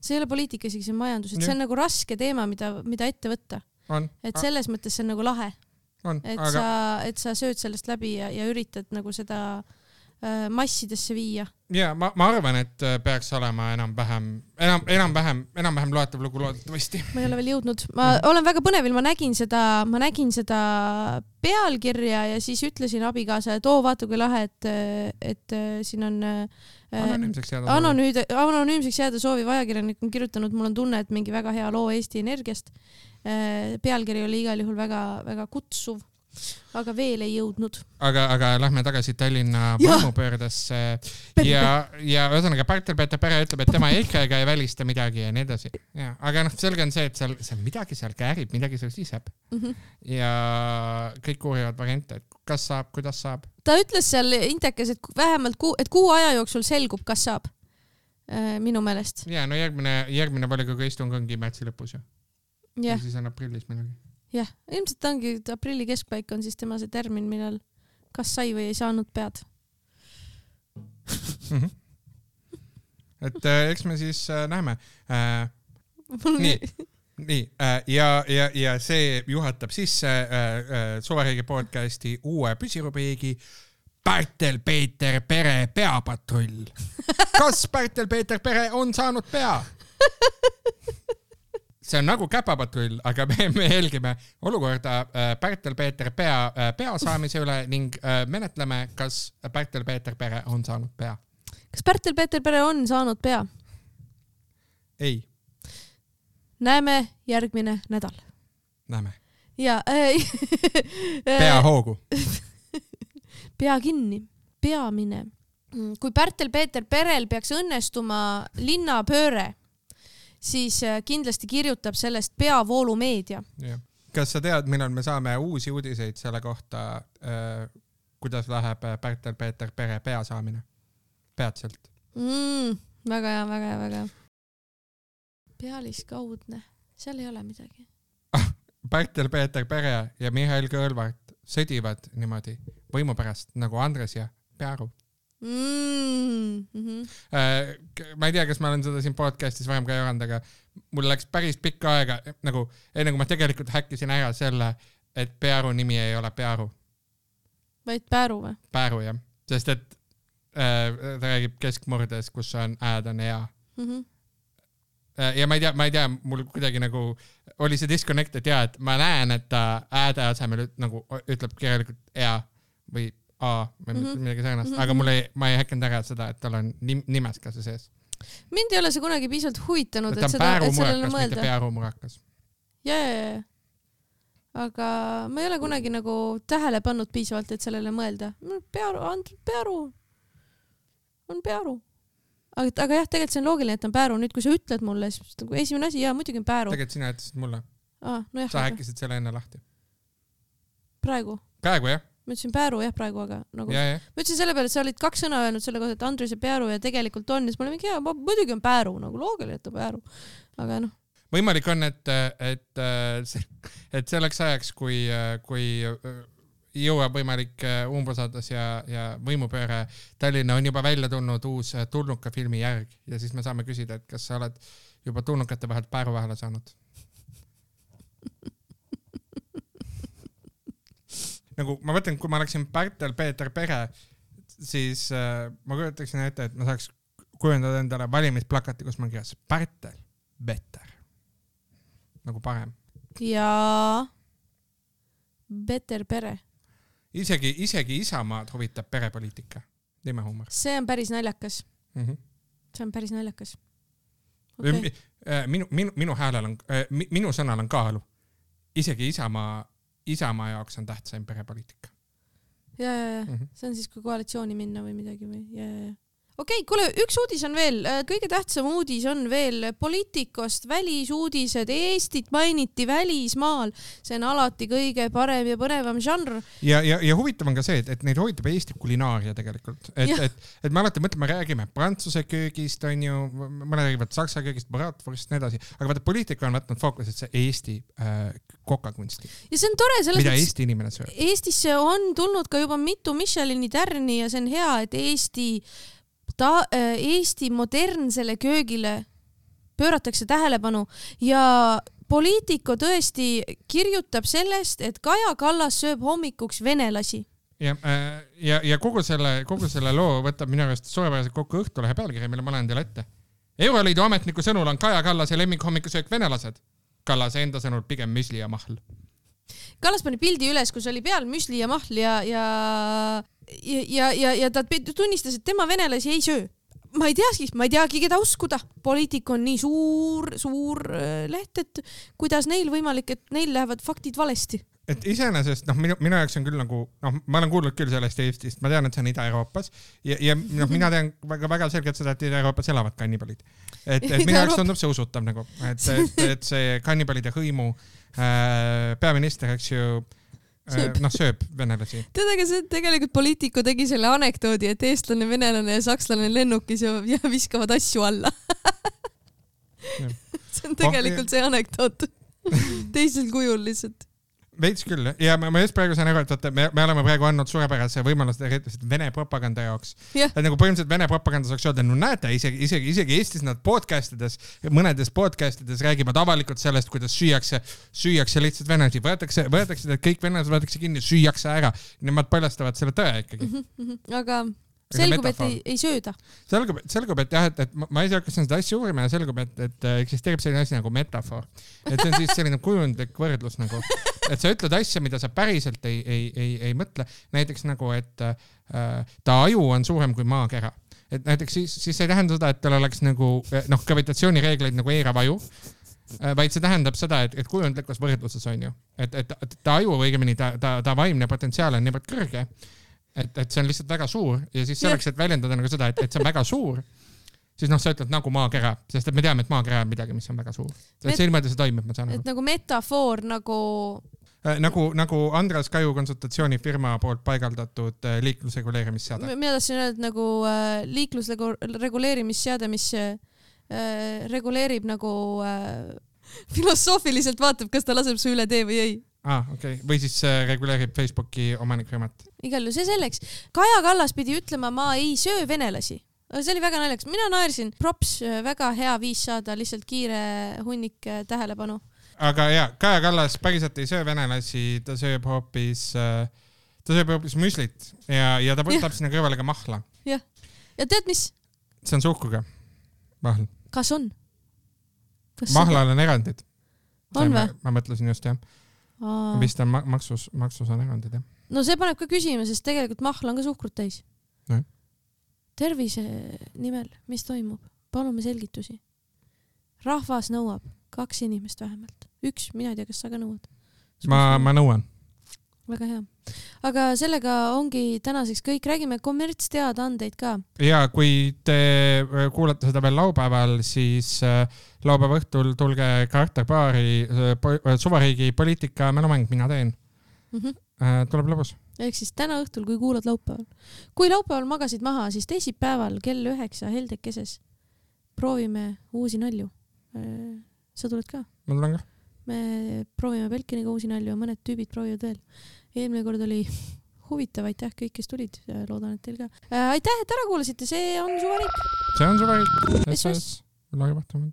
See ei ole poliitika, isegi see majandus, et see on nagu raske teema, mida, mida ette võtta. On. Et selles mõttes see on nagu lahe. On, et, aga... sa, et sa sööd sellest läbi ja, ja üritad nagu seda äh, massidesse viia. Ja ma, ma arvan, et peaks olema enam-vähem, enam, enam-vähem, enam-vähem loetav lugu loodetavasti. Ma ei ole veel jõudnud. Ma mm -hmm. olen väga põnevil, ma nägin seda, ma nägin seda pealkirja ja siis ütlesin abikaasa, et oo, vaata kui lahe, et, et siin on äh, anonüümseks jääda, anonüüde, anonüümseks jääda sooviv ajakirjanik on kirjutanud, mul on tunne, et mingi väga hea loo Eesti Energiast. Pealkiri oli igal juhul väga, väga kutsuv, aga veel ei jõudnud. Aga, aga lähme tagasi Tallinna võimupöördesse ja, ja, ja ühesõnaga Pärtel-Peeter Pere ütleb, et tema EKRE-ga ei välista midagi ja nii edasi. Ja, aga noh, selge on see, et seal, seal midagi seal käärib, midagi seal siseb. Mm -hmm. Ja kõik uurivad variante, et kas saab, kuidas saab. Ta ütles seal intekas, et vähemalt kuu, et kuu aja jooksul selgub, kas saab äh, minu meelest. Ja, no järgmine, järgmine volikogu istung ongi märtsi lõpus ju. Ja. Ja siis on aprillis midagi. Jah, ilmselt ongi, et aprilli keskpaik on siis tema see termin, millal kas sai või ei saanud pead. Mm -hmm. Et äh, eks me siis äh, näeme. Äh, nii, nii äh, ja, ja, ja see juhatab sisse äh, äh, Suveriigi podcasti uue püsirubriigi Pärtel-Peeter Pere peapatrull. Kas Pärtel-Peeter Pere on saanud pea? see on nagu käpapatrull, aga me, me jälgime olukorda Pärtel-Peeter pea, pea saamise üle ning menetleme, kas Pärtel-Peeter Pere on saanud pea. Kas Pärtel-Peeter Pere on saanud pea? Ei. Näeme järgmine nädal. Näeme. Ja, äh, pea hoogu. Pea kinni. Peamine. Kui Pärtel-Peeter Perel peaks õnnestuma linnapööre, siis kindlasti kirjutab sellest peavoolu meedia. Ja. Kas sa tead, millal me saame uusi uudiseid selle kohta, äh, kuidas läheb Pärtel-Peeter Pere pea saamine? Peatselt. Mm, väga hea, väga hea, väga hea. Pealiskaudne. Seal ei ole midagi. Pärtel-Peeter Pere ja Mihhail Kõlvart sõdivad niimoodi võimu pärast nagu Andres ja Pearu. Mm -hmm. äh, ma ei tea, kas ma olen seda siin podcastis varem ka jaganud, aga mul läks päris pikka aega, nagu enne kui ma tegelikult häkkisin ära selle, et Pearu nimi ei ole Pearu. Vaid Pääru või? Pääru, jah. Sest et äh, ta räägib keskmurdes, kus on ääd on hea. Mm -hmm. äh, ja ma ei tea, ma ei tea, mul kuidagi nagu oli see disconnect, et jaa, et ma näen, et ta ääde asemel nagu ütleb kirjalikult hea või A või mm -hmm. midagi sarnast, mm -hmm. aga mul ei, ma ei häkkinud ära seda, et tal on nim, nimes ka see sees. Mind ei ole see kunagi piisavalt huvitanud, et, et seda, et sellele mõelda. Mitte Pearumurakas. Ja, ja, ja. Aga ma ei ole kunagi nagu tähele pannud piisavalt, et sellele mõelda. Pearu, Pearu on Pearu. Aga, aga jah, tegelikult see on loogiline, et on Pääru. Nüüd, kui sa ütled mulle, siis nagu esimene asi, jaa, muidugi on Pääru. Tegelikult sina jätasid mulle. Ah, no jah, sa häkkisid selle enne lahti. Praegu? Praegu, jah. Ma ütlesin Pääru jah praegu, aga nagu ja, ja. ma ütlesin selle peale, et sa olid kaks sõna öelnud selle kohta, et Andrus ja Pearu ja tegelikult on, siis ma olin mingi hea, muidugi on Pääru, nagu loogiline, et on Pääru. Aga noh. Võimalik on, et, et, et selleks ajaks, kui, kui jõuab võimalik umbusaldas ja, ja võimupööre Tallinna on juba välja tulnud uus Tulnuka filmi järg ja siis me saame küsida, et kas sa oled juba tulnukate vahelt Pääru vahele saanud. Nagu ma mõtlen, kui ma läksin Pärtel-Peeter Pere, siis äh, ma kujutaksin ette, et ma saaks kujundada endale valimisplakati, kus ma kirjas Pärtel, better. Nagu parem. Ja better pere. Isegi, isegi Isamaad huvitab perepoliitika. Teeme huumor. See on päris naljakas. Mm -hmm. See on päris naljakas. Okay. Minu, minu, minu häälel on, minu sõnal on kaalu. Isegi Isamaa Isamaa jaoks on tähtsaim perepoliitika. Ja, ja, ja. Mm -hmm. See on siis, kui koalitsiooni minna või midagi või. Ja, ja, ja. Okei, okay, kuule, üks uudis on veel. Kõige tähtsam uudis on veel Poliitikost välisuudised. Eestit mainiti välismaal. See on alati kõige parem ja põnevam žanr. Ja, ja, ja huvitav on ka see, et, et neid hoitab Eesti kulinaaria tegelikult. Et, et, et me alati mõtleme, räägime prantsuse köögist, on ju, mõne räägivad saksa köögist, bratwurst, nii edasi. Aga vaata, poliitika on võtnud fookuset see Eesti äh, kokakunsti. Ja see on tore. Selles mida Eesti inimene sööb. Eestisse on tulnud ka juba mitu Michelini tärni ja see on hea, et Eesti Ta, Eesti modernsele köögile pööratakse tähelepanu ja Poliitico tõesti kirjutab sellest, et Kaja Kallas sööb hommikuks venelasi. Ja, ja, ja kogu, selle, kogu selle loo võtab minu arust suurepäraselt kokku Õhtulehe pealkiri, mille ma lähen teile ette. Euroliidu ametniku sõnul on Kaja Kallase lemmik hommikusöök venelased. Kallase enda sõnul pigem müsli ja mahl. Kallas pani pildi üles, kus oli peal müsli ja mahl ja, ja, ja, ja, ja ta tunnistas, et tema venelasi ei söö. Ma ei teagi, ma ei teagi, keda uskuda. Poliitico on nii suur, suur leht, et kuidas neil võimalik, et neil lähevad faktid valesti. Et iseenesest, noh, minu, minu jaoks on küll nagu, noh, ma olen kuulnud küll sellest Eestist, ma tean, et see on Ida-Euroopas ja, ja noh, mina tean väga, väga selgelt seda, et Ida-Euroopas elavad kannibalid. Et, et minu jaoks tundub see usutav nagu, et, et, et see kannibalide hõimu äh, peaminister, eks ju, Sööb. noh, sööb venelasi. Tead, aga see tegelikult Poliitico tegi selle anekdoodi, et eestlane, venelane ja sakslane lennukis ja, ja viskavad asju alla. see on tegelikult see anekdoot. Teisel kujul lihtsalt. Veits küll, ja ma, ma just praegu saan aru, et me, me oleme praegu andnud suurepärase võimalust Vene propaganda jaoks. Yeah. Et nagu põhimõtteliselt Vene propaganda saaks öelda, no näete, isegi, isegi, isegi Eestis nad podcastides, mõnedes podcastides räägivad avalikult sellest, kuidas süüakse, süüakse lihtsalt venelasi. Võetakse, võetakse kõik venelased, võetakse kinni, süüakse ära. Nemad paljastavad selle tõe ikkagi. Mm -hmm. Aga selgub, et ei, ei sööda. Selgub, selgub, et jah, et, et ma, ma ise hakkasin seda asja uurima ja selgub, et, et eksisteerib selline asi nagu metafoor. Et see on siis selline kujundlik võrdlus nagu, et sa ütled asja, mida sa päriselt ei, ei, ei, ei mõtle. Näiteks nagu, et äh, ta aju on suurem kui maakera. Et näiteks siis, siis ei tähenda seda, et tal oleks nagu, noh, gravitatsioonireegleid nagu eirav aju, vaid see tähendab seda, et, et kujundlikus võrdluses on ju, et, et, et ta aju õigemini, ta, ta, ta vaimne potentsiaal on niivõrd kõrge, et, et see on lihtsalt väga suur ja siis selleks, et väljendada nagu seda, et, et see on väga suur, siis noh, sa ütled nagu maakera, sest et me teame, et maakera on midagi, mis on väga suur. Et see ilmõelda see toimib, ma saan aru. Et nagu metafoor nagu... Nagu, nagu Andres Kaju konsultatsioonifirma poolt paigaldatud liiklusreguleerimisseade. Mina tahtsin öelda nagu liiklusreguleerimisseade, mis reguleerib nagu äh, filosoofiliselt vaatab, kas ta laseb su üle tee või ei. Ah, okei. Okay. Või siis äh, reguleerib Facebooki omanikfirmat. Igal ju see selleks. Kaja Kallas pidi ütlema, ma ei söö venelasi. See oli väga naljaks. Mina naersin. Props, väga hea viis saada lihtsalt kiire hunnik tähelepanu. Aga jah, Kaja Kallas päriselt ei söö venelasi, ta sööb hoopis, ta sööb hoopis müslit ja, ja ta võtab sinna kõrvale ka mahla. Jah. Ja tead mis? See on suhkuga. Mahl. Kas on? Kas Mahlal on erandid. On või? Ma, ma mõtlesin just, jah. Aa. Vist on maksus, maksus on erandid, jah. No see paneb ka küsima, sest tegelikult mahla on ka suhkrut täis. No. Tervise nimel, mis toimub? Palume selgitusi. Rahvas nõuab kaks inimest vähemalt. Üks, mina ei tea, kas sa ka nõuad. Ma, ma nõuan. Väga hea. Aga sellega ongi tänaseks kõik. Räägime kommertsteadaandeid ka. Ja kui te kuulate seda veel laupäeval, siis laupäeva õhtul tulge karakterbaari Suvariigi poliitika mälumäng mina teen. Mm-hmm. Tuleb lõbus. Ehk siis täna õhtul, kui kuulad laupäeval. Kui laupäeval magasid maha, siis teisipäeval kell üheksa heldekeses proovime uusi nalju. Sa tuled ka? Ma tulen ka. Me proovime Belkiniga uusi nalju ja mõned tüübid proovivad veel. Eelmine kord oli huvitav, aitäh kõik, kes tulid. Loodan, et teil ka. Aitäh, et ära kuulasite, see on Suvariik. See on Suvariik. S S. Lagevahtamine.